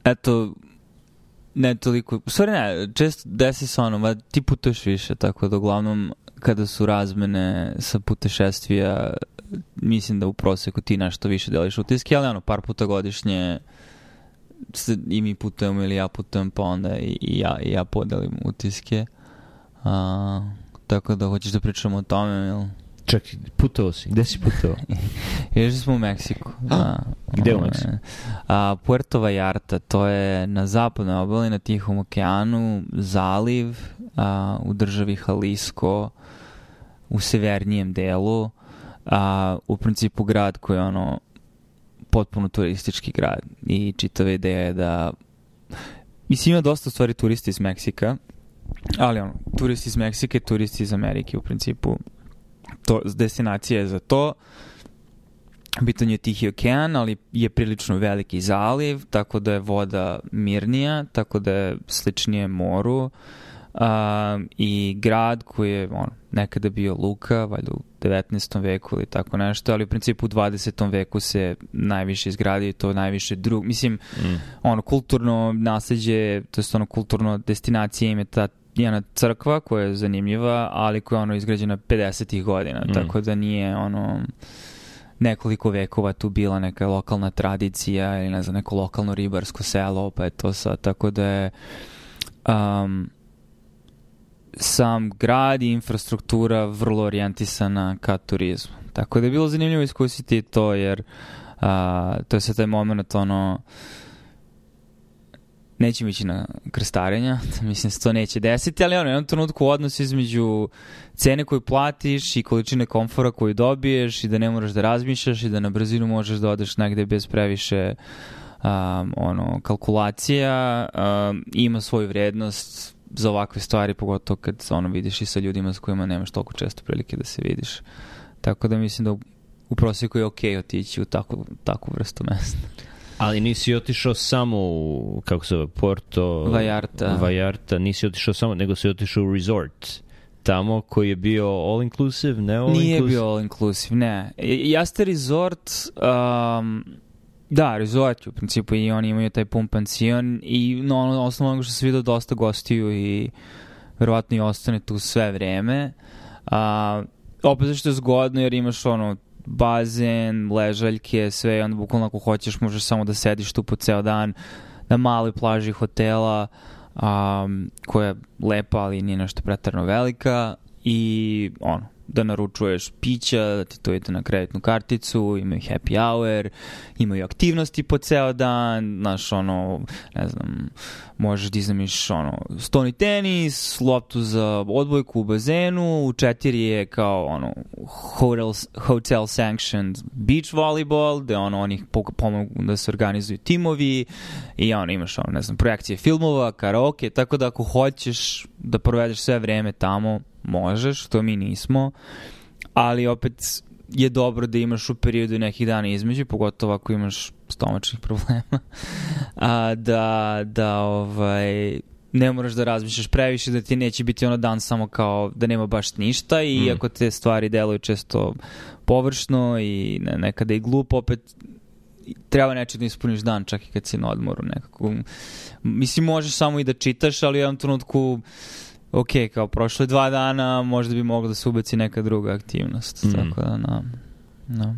eto, ne toliko, u stvari ne, često desi se ono, ti putuješ više, tako da uglavnom kada su razmene sa putešestvija, mislim da u proseku ti nešto više deliš utiske, ali ono, par puta godišnje i mi putujemo ili ja putujem, pa onda i ja podelim utiske. Tako da hoćeš da pričamo o tome, ili? Čekaj, putovao si. Gde si putovao? Još smo u Meksiku. Gde u Meksiku? Puerto Vallarta, to je na zapadnoj obali, na Tihom okeanu, zaliv u državi Jalisco, u severnijem delu, u principu grad koji je ono potpuno turistički grad i čitava ideja je da mislim ima dosta stvari turisti iz Meksika, ali ono, turisti iz Meksike, turisti iz Amerike u principu. To, destinacija je za to. Bitan je Tihi okean, ali je prilično veliki zaliv, tako da je voda mirnija, tako da je sličnije moru. I grad koji je nekada bio luka, valjda u 19. veku ili tako nešto, ali u principu u 20. veku se najviše izgradio, to najviše mislim, kulturno nasleđe, to je kulturno destinacija im je ta jedna crkva koja je zanimljiva, ali koja je izgrađena 50. godina, tako da nije nekoliko vekova tu bila neka lokalna tradicija ili ne znam, neko lokalno ribarsko selo, pa je to sad, tako da je sam grad i infrastruktura vrlo orijentisana ka turizmu. Tako da je bilo zanimljivo iskusiti to, jer to je sad taj moment, nećemo ići na krstarenja, mislim se to neće desiti, ali jednom trenutku odnos između cene koju platiš i količine komfora koju dobiješ i da ne moraš da razmišljaš i da na brzinu možeš da odeš negde bez previše kalkulacija, ima svoju vrednost za ovakve stvari, pogotovo kad vidiš i sa ljudima s kojima nemaš toliko često prilike da se vidiš. Tako da mislim da u prosjeku je okej otići u takvu vrstu mesta. Ali nisi otišao samo u, kako se zove, Puerto Vallarta, nisi otišao samo, nego si otišao u resort tamo koji je bio all inclusive, ne all inclusive? Nije bio all inclusive, ne. Jeste resort, da, resort u principu i oni imaju taj pun pansion i osnovno onoga što se vidio dosta gostiju i verovatno i ostane tu sve vreme. Opet zašto je zgodno jer imaš bazen, ležaljke, sve i onda bukvalno ako hoćeš možeš samo da sediš tu po ceo dan na maloj plaži hotela koja je lepa, ali nije nešto pretarno velika i da naručuješ pića, da ti to ide na kreditnu karticu, imaju happy hour, imaju aktivnosti po ceo dan, znaš, ne znam, možeš da iznamiš, stoni tenis, loptu za odbojku u bazenu, u 4 je kao, hotel sanctioned beach volleyball, gde oni pomogu da se organizuju timovi i imaš, ne znam, projekcije filmova, karaoke, tako da ako hoćeš da provedeš sve vreme tamo, možeš, to mi nismo, ali opet je dobro da imaš u periodu nekih dana između, pogotovo ako imaš stomačnih problema, ne moraš da razmišljaš previše, da ti neće biti dan samo kao da nema baš ništa i iako te stvari deluju često površno i nekada i glupo, opet treba nečeg da ispuniš dan čak i kad si na odmoru nekako. Mislim, možeš samo i da čitaš, ali u jednom trenutku kao prošle 2 dana možda bi mogla da se ubaci neka druga aktivnost. Tako da,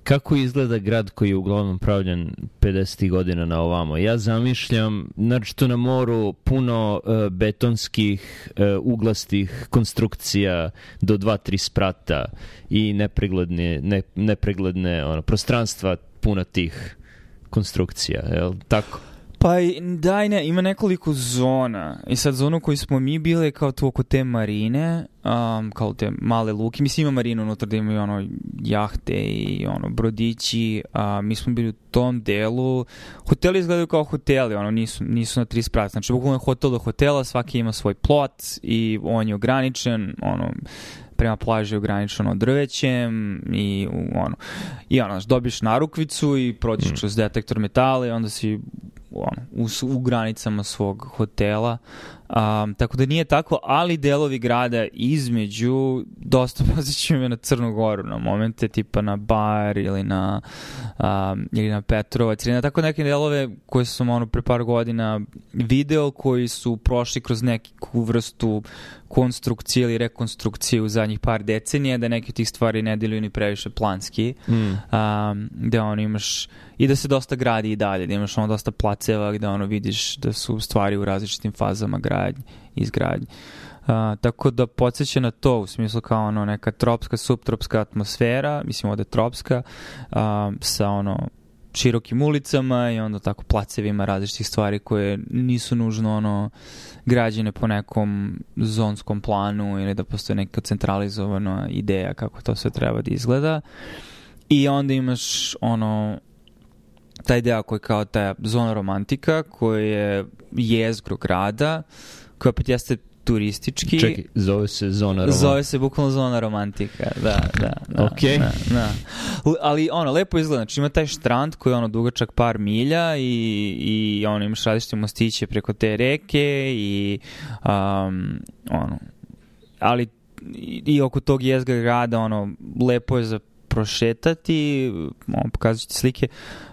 Kako izgleda grad koji je uglavnom pravljen 50. godina na ovamo? Ja zamišljam, naročito na moru, puno betonskih, uglastih konstrukcija do 2-3 sprata i nepregledne prostranstva puna tih konstrukcija, je li tako? Pa da i ne, ima nekoliko zona i sad zonu koju smo mi bili kao tu oko te marine, kao te male luke, mislim ima marinu unutra da imaju jahte i brodići, mi smo bili u tom delu, hoteli izgledaju kao hoteli, nisu na 3 sprata, znači bukvalno hotel do hotela, svaki ima svoj plot i on je ograničen, prema plaži je ograničeno drvećem i dobiješ narukvicu i prođeš kroz detektor metala i onda si u granicama svog hotela. Tako da nije tako, ali delovi grada između dosta posjećuju me na Crnu Goru na momente, tipa na Bar ili na Petrovac ili na tako neke delove koje sam pre par godina video, koji su prošli kroz neku vrstu konstrukcije ili rekonstrukcije u zadnjih par decenija, da neke od tih stvari ne deluju ni previše planski, da imaš i da se dosta gradi i dalje, da imaš dosta placeva gde vidiš da su stvari u različitim fazama izgradnje. Tako da podsjeća na to u smislu kao neka tropska, subtropska atmosfera, mislim ovde tropska, sa širokim ulicama i onda tako placevima različitih stvari koje nisu nužno građene po nekom zonskom planu ili da postoje neka centralizovana ideja kako to sve treba da izgleda. I onda imaš taj deo koji je kao ta zona romantika, koja je jezgro grada, koja opet jeste turistički. Čekaj, zove se zona romantika. Zove se bukvalno zona romantika, da. Okej. Da. Ali lepo izgleda, znači ima taj štrand koji je dugačak par milja i imaš različite mostiće preko te reke i ali i oko tog jezgra grada lepo je za prošetati,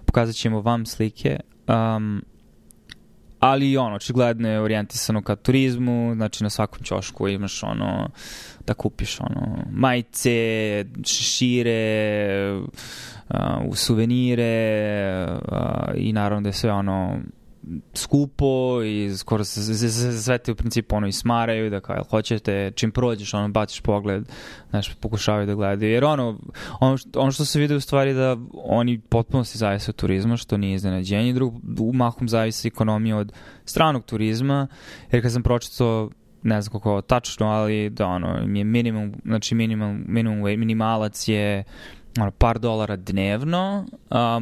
pokazat ćemo vam slike, ali očigledno je orijentisano ka turizmu, znači na svakom ćošku imaš da kupiš majice, šešire, suvenire i naravno da je sve skupo i skoro se sve te u principu i smaraju, da kao hoćete, čim prođeš baciš pogled, znaš, pokušavaju da gledaju, jer ono što se vidi u stvari da oni potpuno se zavise od turizma, što nije iznenađenje, mahom zavise ekonomija od stranog turizma, jer kad sam pročitao, ne znam koliko tačno, ali da je minimum, znači minimalac je par dolara dnevno,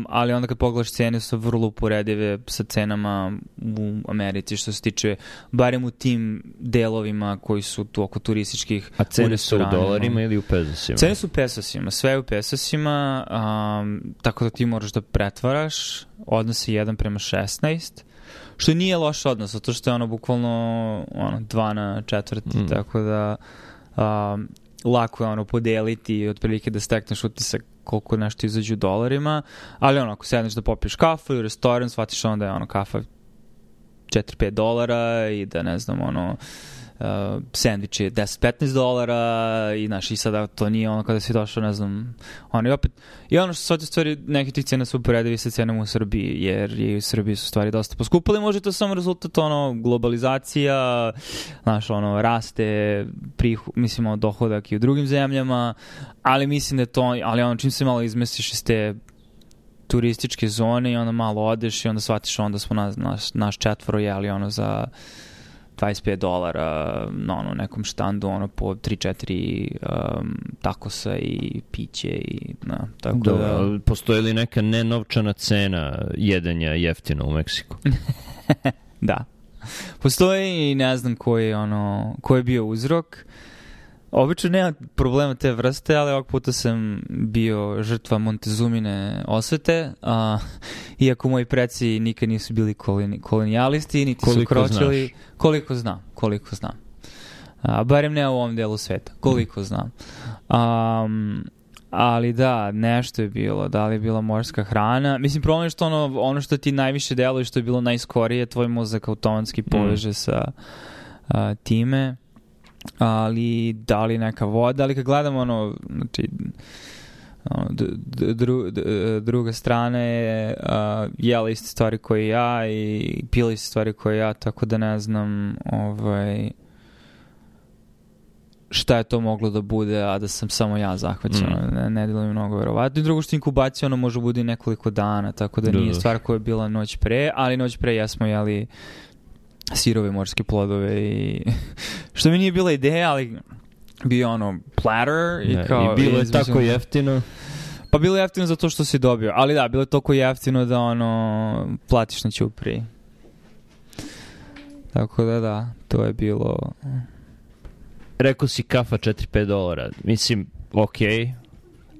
ali onda kad pogledaš cene su vrlo uporedive sa cenama u Americi što se tiče, barem u tim delovima koji su tu oko turističkih. A cene su u dolarima ili u pesosima? Cene su u pesosima, sve je u pesosima, tako da ti moraš da pretvaraš, odnos je 1:16, što nije loš odnos, zato što je bukvalno 2:4, tako da lako je podeliti i otprilike da stekneš utisak koliko nešto izađe u dolarima, ali ako sedneš da popiješ kafu u restoran, shvatiš onda je kafa $4-5 i da ne znam sandvič je $10-15 i znaš, i sada to nije kada si došao, ne znam, i opet, i što sve te stvari, neke tih cena su uporedivi sa cenama u Srbiji, jer i u Srbiji su stvari dosta poskupile, može to samo rezultat globalizacija, znaš, raste mislimo dohodak i u drugim zemljama, ali mislim da je to, ali čim se malo izmestiš iz te turističke zone i onda malo odeš i onda shvatiš onda smo naš četvoro jeli za $25 na nekom štandu, po 3-4 takosa i piće i tako da... Postoji li neka nenovčana cena jedenja jeftino u Meksiku? Da. Postoji i ne znam koji je bio uzrok. Obično nema problema te vrste, ali ovog puta sam bio žrtva Montezumine osvete, iako moji preci nikad nisu bili kolonijalisti, niti su kročili. Koliko znam. Barem ne u ovom delu sveta. Koliko znam. Ali da, nešto je bilo. Da li je bila morska hrana? Mislim, problem je što ono što ti najviše deluje, što je bilo najskorije, tvoj mozak automatski poveže sa time. Ali da li neka voda, ali kad gledamo znači druga strana je jela iste stvari koje ja i pila iste stvari koje ja, tako da ne znam šta je to moglo da bude, a da sam samo ja zahvaćen. Ne delo mi mnogo verovatno. I drugo što inkubacija može bude nekoliko dana, tako da nije stvar koja je bila noć pre, ali noć pre jesmo jeli sirove morske plodove i što mi nije bila ideja, ali bio platter i kao... I bilo je tako jeftino? Pa bilo je jeftino zato što si dobio, ali da, bilo je toliko jeftino da platiš na ćupri. Tako da, to je bilo... Rekao si kafa $4-5. Mislim, okej,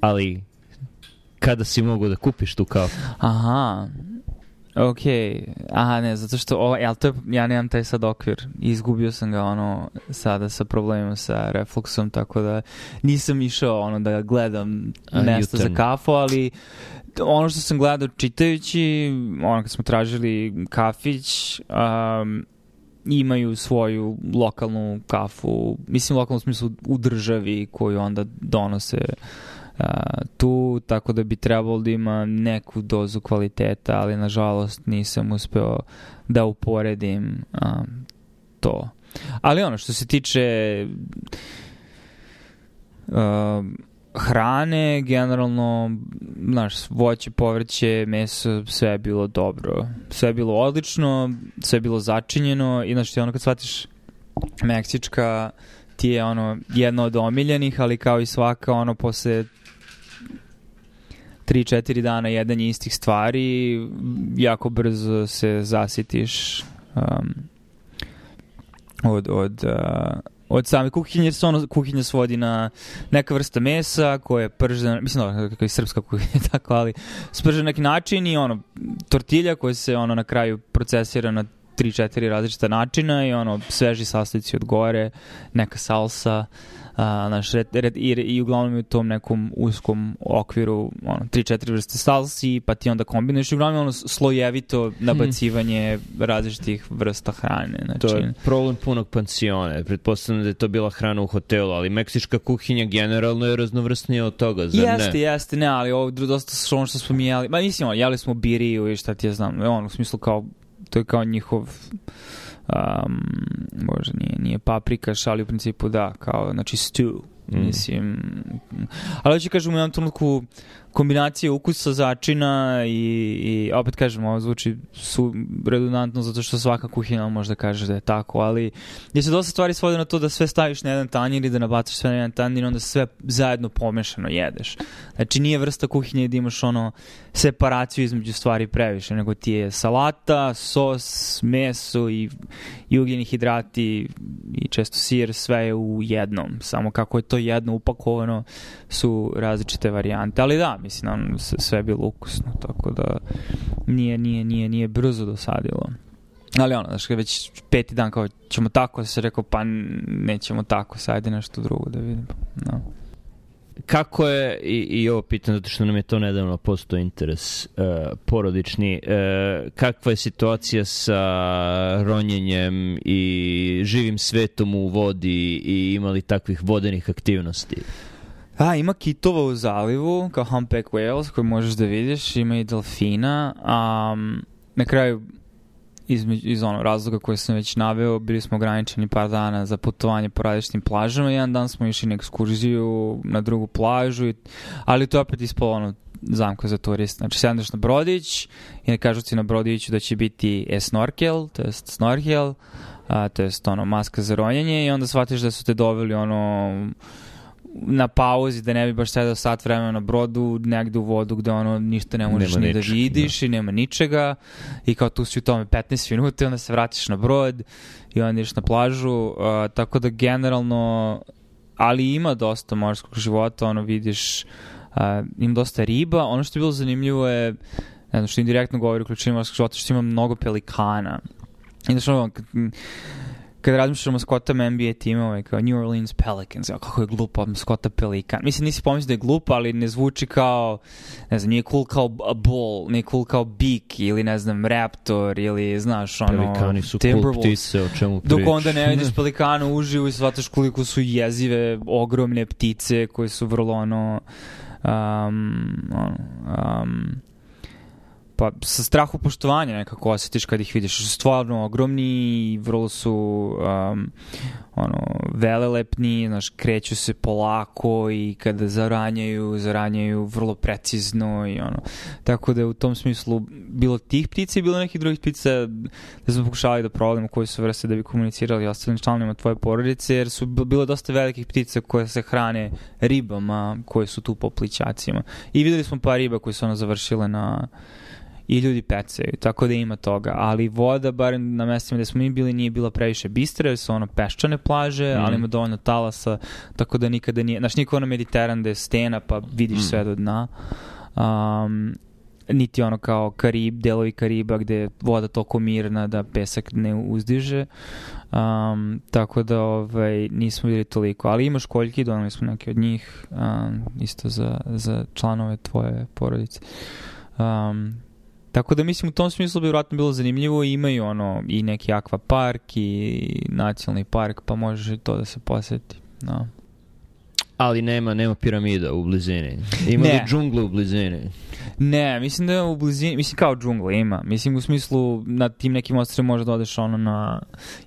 ali kada si mogu da kupiš tu kafu? Aha. Aha, ne, zato što ali to je, ja nemam taj sad okvir. Izgubio sam ga sada sa problemima sa refluksom, tako da nisam išao da gledam mesta za kafu, ali ono što sam gledao čitajući, kad smo tražili kafić, imaju svoju lokalnu kafu, mislim lokalnu smislu u državi koju onda donose tu, tako da bi trebalo da ima neku dozu kvaliteta, ali nažalost nisam uspeo da uporedim to. Ali što se tiče hrane, generalno, voće, povrće, meso, sve je bilo dobro. Sve je bilo odlično, sve je bilo začinjeno i kad shvatiš meksička ti je jedna od omiljenih, ali kao i svaka posle 3-4 dana jedanje istih stvari jako brzo se zasitiš od same kuhinje, jer se kuhinja svodi na neka vrsta mesa koja je pržena, mislim kako je srpska kuhinja tako, ali spržena na neki način i tortilja koja se na kraju procesira na 3-4 različita načina i sveži sastojci od gore, neka salsa, i uglavnom je u tom nekom uskom okviru 3-4 vrste salsi, pa ti onda kombinuješ i uglavnom slojevito nabacivanje različitih vrsta hrane. Znači, to je problem punog pansiona. Pretpostavljam da je to bila hrana u hotelu, ali meksička kuhinja generalno je raznovrsnija od toga, zar ne? Jeste, ne, ali ovo dosta ono što smo mi jeli. Mislim, jeli smo biriju i šta ti ja znam. U smislu kao, to je kao njihov možda nije paprikaš, ali u principu da, kao, znači stew, mislim. Ali hoću kažem, u jednom trenutku kombinacije ukusa, začina i opet kažem, ovo zvuči redundantno zato što svaka kuhinja može da kaže da je tako, ali gdje se dosta stvari svode na to da sve staviš na jedan tanjir i da nabacaš sve na jedan tanjir i onda sve zajedno pomešano jedeš. Znači nije vrsta kuhinje da imaš separaciju između stvari previše, nego ti je salata, sos, meso i ugljeni hidrati i često sir, sve je u jednom. Samo kako je to jedno upakovano su različite varijante. Ali da, mislim, sve je bilo ukusno, tako da nije brzo dosadilo. Ali znaš, već 5. dan kao ćemo tako, se rekao pa nećemo tako, sajde nešto drugo da vidim. No. Kako je, i ovo pitam zato što nam je to nedavno postao interes porodični, kakva je situacija sa ronjenjem i živim svetom u vodi i imali takvih vodenih aktivnosti? Ima kitova u zalivu, kao humpback whales, koje možeš da vidiš, ima i delfina. Na kraju, iz razloga koje sam već naveo, bili smo ograničeni par dana za putovanje po različitim plažama. Jedan dan smo išli na ekskurziju na drugu plažu, ali to je opet ispalo zamka za turist. Znači, sedneš na brodić i ne kažu ti na brodiću da će biti snorkel, to je snorkel, to je maska za ronjenje i onda shvatiš da su te doveli na pauzi, da ne bi baš sedao sat vremena na brodu, negde u vodu gde ništa ne možeš ni da vidiš i nema ničega i kao tu si u tome 15 minuta i onda se vratiš na brod i onda ideš na plažu, tako da generalno, ali ima dosta morskog života, vidiš, ima dosta riba. Ono što je bilo zanimljivo je, ne znam, što indirektno govori o količini morskog života, što ima mnogo pelikana. I znaš, kada razmišljamo o maskotama NBA timova, kao New Orleans Pelicans, kako je glupa maskota pelikan. Mislim, nisi pomislio da je glupa, ali ne zvuči kao, ne znam, nije cool kao bull, nije cool kao beak, ili ne znam, raptor, ili, znaš, pelikani su cool ptice, o čemu priča. Dok onda ne vidiš pelikanu uživo i shvataš koliko su jezive, ogromne ptice, koje su vrlo, pa sa strahu poštovanja nekako osjetiš kad ih vidiš. Su stvarno ogromni i vrlo su velelepni, znaš, kreću se polako i kada zaranjaju vrlo precizno i tako da je u tom smislu bilo tih ptica i bilo nekih drugih ptica da smo pokušali da provalimo koje su vrste da bi komunicirali ostalim članovima tvoje porodice, jer su bilo dosta velikih ptica koje se hrane ribama koje su tu po plićacima. I videli smo par riba koje su završile i ljudi pecaju, tako da ima toga. Ali voda, barem na mestima gde smo mi bili, nije bila previše bistra, jer su peščane plaže, ali ima dovoljno talasa, tako da nikada nije, znaš, niko Mediteran da je stena, pa vidiš sve do dna. niti ono kao delovi Kariba gde je voda toliko mirna da pesak ne uzdiže. Tako da nismo bili toliko. Ali ima školjki, donali smo neke od njih, isto za članove tvoje porodice. Tako da mislim u tom smislu bi vjerojatno bilo zanimljivo. Imaju i neki akvapark i nacionalni park, pa može i to da se posjeti. No. Ali nema piramida u blizini. Ima li džungla u blizini? Ne, mislim da je u blizini, mislim kao džungla ima. Mislim u smislu na tim nekim ostrvima možeš da odeš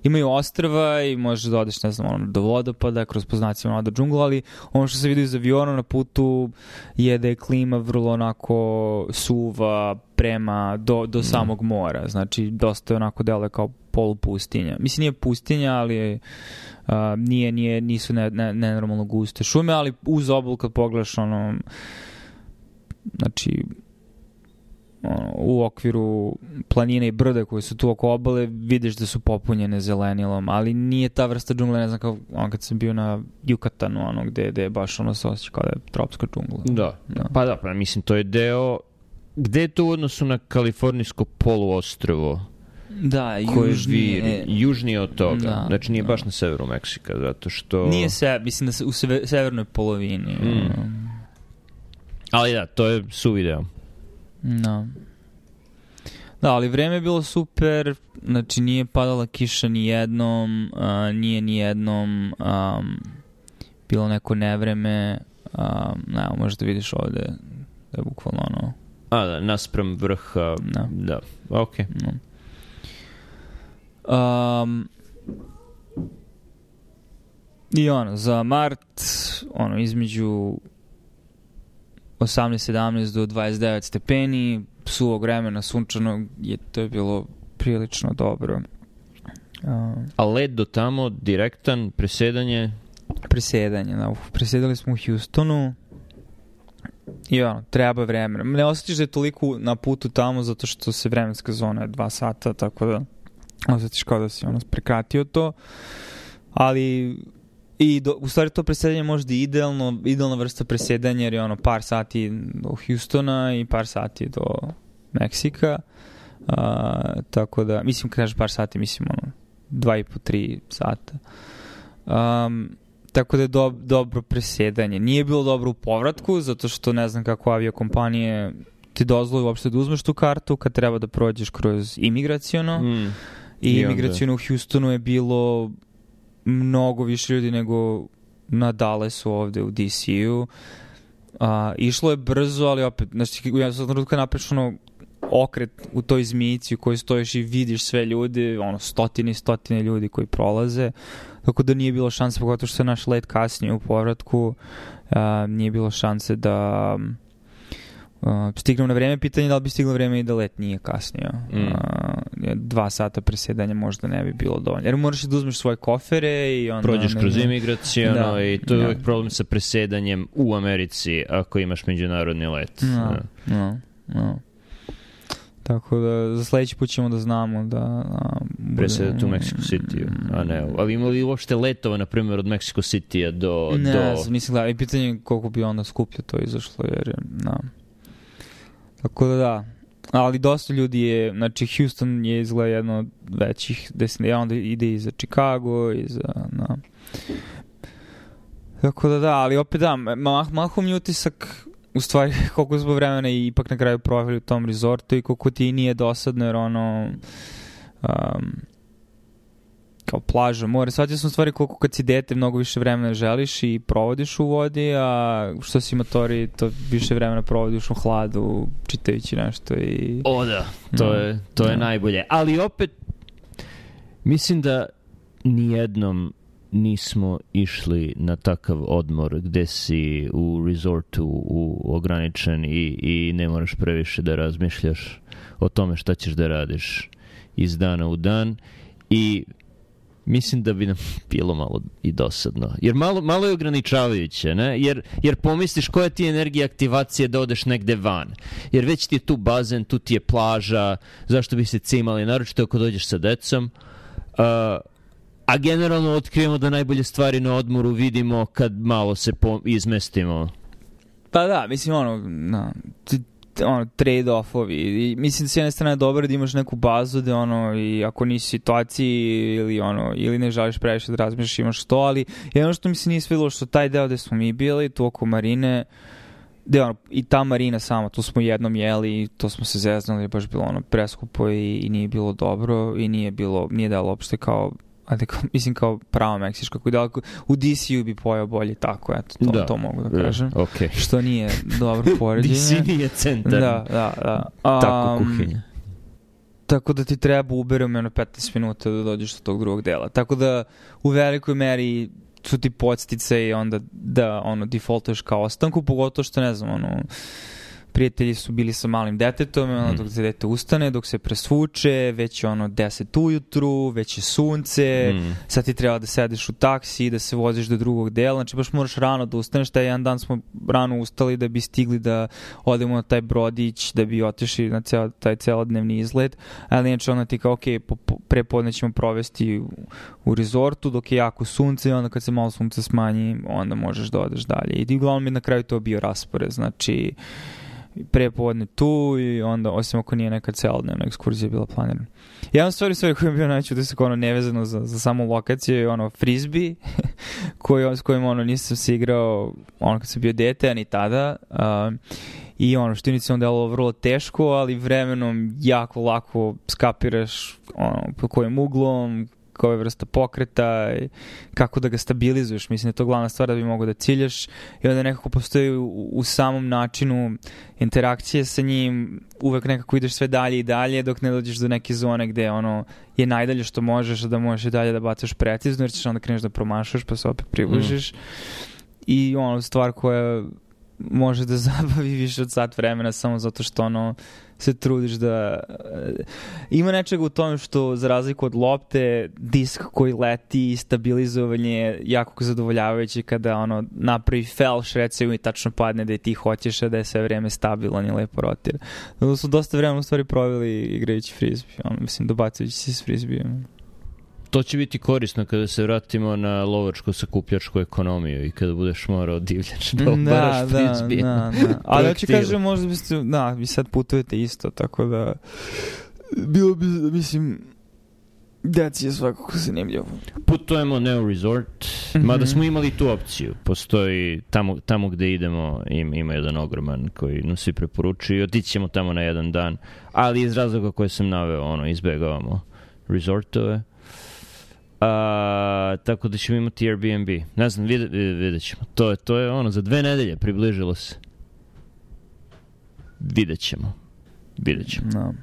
imaju ostrva i možeš da odeš, ne znam, do vodopada, kroz poznacima do džungla, ali ono što se vidi iz aviona na putu je da je klima vrlo onako suva prema do samog mora. Znači dosta je onako deluje kao polupustinja. Mislim nije pustinja, ali nisu nenormalno guste šume, ali uz obalu kad pogledaš znači u okviru planine i brda koji su tu oko obale vidiš da su popunjene zelenilom, ali nije ta vrsta džungla, ne znam kao kad sam bio na Jukatanu, gde je baš se osjeća kao da je tropska džungla. Da. Pa mislim to je deo, gde je to u odnosu na kalifornijsko poluostrvo? Da, južnije od toga. Da, znači nije baš na severu Meksika, zato što... Nije mislim da se u severnoj polovini. Ali da, to je suvideo. Da, ali vreme je bilo super, znači nije padala kiša ni jednom, nije ni jednom bilo neko nevreme, možda vidiš ovde da je bukvalno da, naspram vrha, da, okej. I za mart između 18-17 do 29 stepeni suvog vremena, sunčanog, to je bilo prilično dobro. A led do tamo, direktan, presedanje? Presedanje, da. Presedali smo u Houstonu i treba vremena. Ne osjetiš da je toliko na putu tamo zato što se vremenska zona je 2 sata, tako da osjetiš kao da si prekratio to, ali u stvari to presedanje možda je idealna vrsta presedanja jer je par sati do Houstona i par sati do Meksika, tako da, mislim kažeš par sati, mislim 2,5-3 sata. Tako da je dobro presedanje. Nije bilo dobro u povratku, zato što ne znam kako aviokompanije ti dozvoli uopšte da uzmeš tu kartu kad treba da prođeš kroz imigraciono. I imigraciono u Houstonu je bilo mnogo više ljudi nego na Dallasu ovde u DC-u. Išlo je brzo, ali opet, znači, ja sam trenutno napreš okret u toj zmijici u kojoj stojiš i vidiš sve ljudi, stotine i stotine ljudi koji prolaze, tako da nije bilo šanse, pogotovo što je naš let kasnije u povratku, nije bilo šanse da stignemo na vreme. Pitanje je da li bi stiglo vreme i da let nije kasnije. 2 sata presedanja možda ne bi bilo dovoljno. Jer moraš da uzmeš svoje kofere i onda... Prođeš kroz imigracijono i to je uvijek problem sa presedanjem u Americi ako imaš međunarodni let. Tako da za sledeći put ćemo da znamo da... Presedati u Mexico City, a ne. Ali ima li uopšte letova, na primjer, od Mexico City-a do... Ne, nisam gledao. I pitanje je koliko bi onda skuplje to izašlo, jer... Tako da. Ali dosta ljudi je, znači Houston je izgleda jedno od većih destinacija, onda ide i za Chicago i za... Tako da, ali opet mahom je utisak u stvari koliko zbog vremena i ipak na kraju proveli u tom resortu i koliko ti nije dosadno jer kao plaža, more. Shvatio sam u stvari koliko kad si dete mnogo više vremena želiš i provodiš u vodi, a što si matori to više vremena provodiš u hladu čitajući nešto i... Da, to je najbolje. Ali opet mislim da nijednom nismo išli na takav odmor gde si u resortu ograničen i ne moraš previše da razmišljaš o tome šta ćeš da radiš iz dana u dan i mislim da bi nam bilo malo i dosadno. Jer malo je ograničavajuće, ne? Jer pomisliš koja ti je energija aktivacije da odeš negde van. Jer već ti je tu bazen, tu ti je plaža, zašto bi se cimali, naročito ako dođeš sa decom. A generalno otkrijemo da najbolje stvari na odmoru vidimo kad malo se izmestimo. Pa da, mislim trade-offovi. I mislim da s jedne strane je dobro da imaš neku bazu da i ako nisi u situaciji ili ne želiš previše da razmišljaš imaš to, ali jedno što mi se nije svidilo što taj deo gde smo mi bili, tu oko marine, i ta marina sama, tu smo jednom jeli i to smo se zeznali, baš bilo preskupo i nije bilo dobro i nije dalo uopšte kao mislim kao pravo meksička koja u DC-u bi pojao bolje tako, eto, to mogu da kažem. Okay. Što nije dobro poređenje. DC nije centar. Da. Tako kuhinja. Tako da ti treba uberem 15 minuta da dođeš do tog drugog dela. Tako da u velikoj meri su ti podstice i onda da defaultuješ kao ostanku, pogotovo što ne znam, prijatelji su bili sa malim detetom, dok se dete ustane, dok se presvuče, već je 10 ujutru, već je sunce, sad ti treba da sedeš u taksi, da se voziš do drugog dela, znači baš moraš rano da ustaneš, taj jedan dan smo rano ustali da bi stigli da odemo na taj brodić, da bi otišli na taj celodnevni izlet, ali inače ti kao, prepodne ćemo provesti u rezortu, dok je jako sunce i onda kad se malo sunce smanji, onda možeš da odeš dalje. I uglavnom je na kraju to bio raspored, znači prepodne tu i onda, osim ako nije neka celodnevna ekskurzija bila planirana. Jedan stvari koji je bio najču da se nevezano za samu lokaciju je frisbee s kojim nisam se igrao kad sam bio dete, a ni tada. I što inicijalno delovalo vrlo teško, ali vremenom jako lako skapiraš po kojim uglom, koja je vrsta pokreta, kako da ga stabilizuješ. Mislim da je to glavna stvar da bi mogo da ciljaš i onda nekako postoji u samom načinu interakcije sa njim, uvek nekako ideš sve dalje i dalje dok ne dođeš do neke zone gde je najdalje što možeš, da možeš i dalje da bacaš precizno jer ćeš onda kreneš da promašaš pa se opet približiš. I stvar koja može da zabavi više od sat vremena samo zato što se trudiš da... Ima nečega u tome što za razliku od lopte, disk koji leti i stabilizovanje je jako zadovoljavajuće kada napravi felš recimo i tačno padne da je ti hoćeš, a da je sve vreme stabilan i lepo rotira. Da su dosta vremena u stvari proveli igrajući frisbee, mislim dobacujući se s frisbeeom. To će biti korisno kada se vratimo na lovačko-sakupljačku ekonomiju i kada budeš morao divljač da obaraš frisbee. Da. Ali ja ću kažem, možda biste, vi sad putujete isto, tako da bilo bi, mislim, deci je svakako zanimljivo. Putujemo ne u resort, mada smo imali tu opciju. Postoji tamo gde idemo, ima jedan ogroman koji nam svi preporučuju i otići ćemo tamo na jedan dan, ali iz razloga koje sam naveo, izbegavamo resortove. Tako da ćemo imati Airbnb. Ne znam, vidjet ćemo. To je za 2 nedelje približilo se. Vidjet ćemo. No.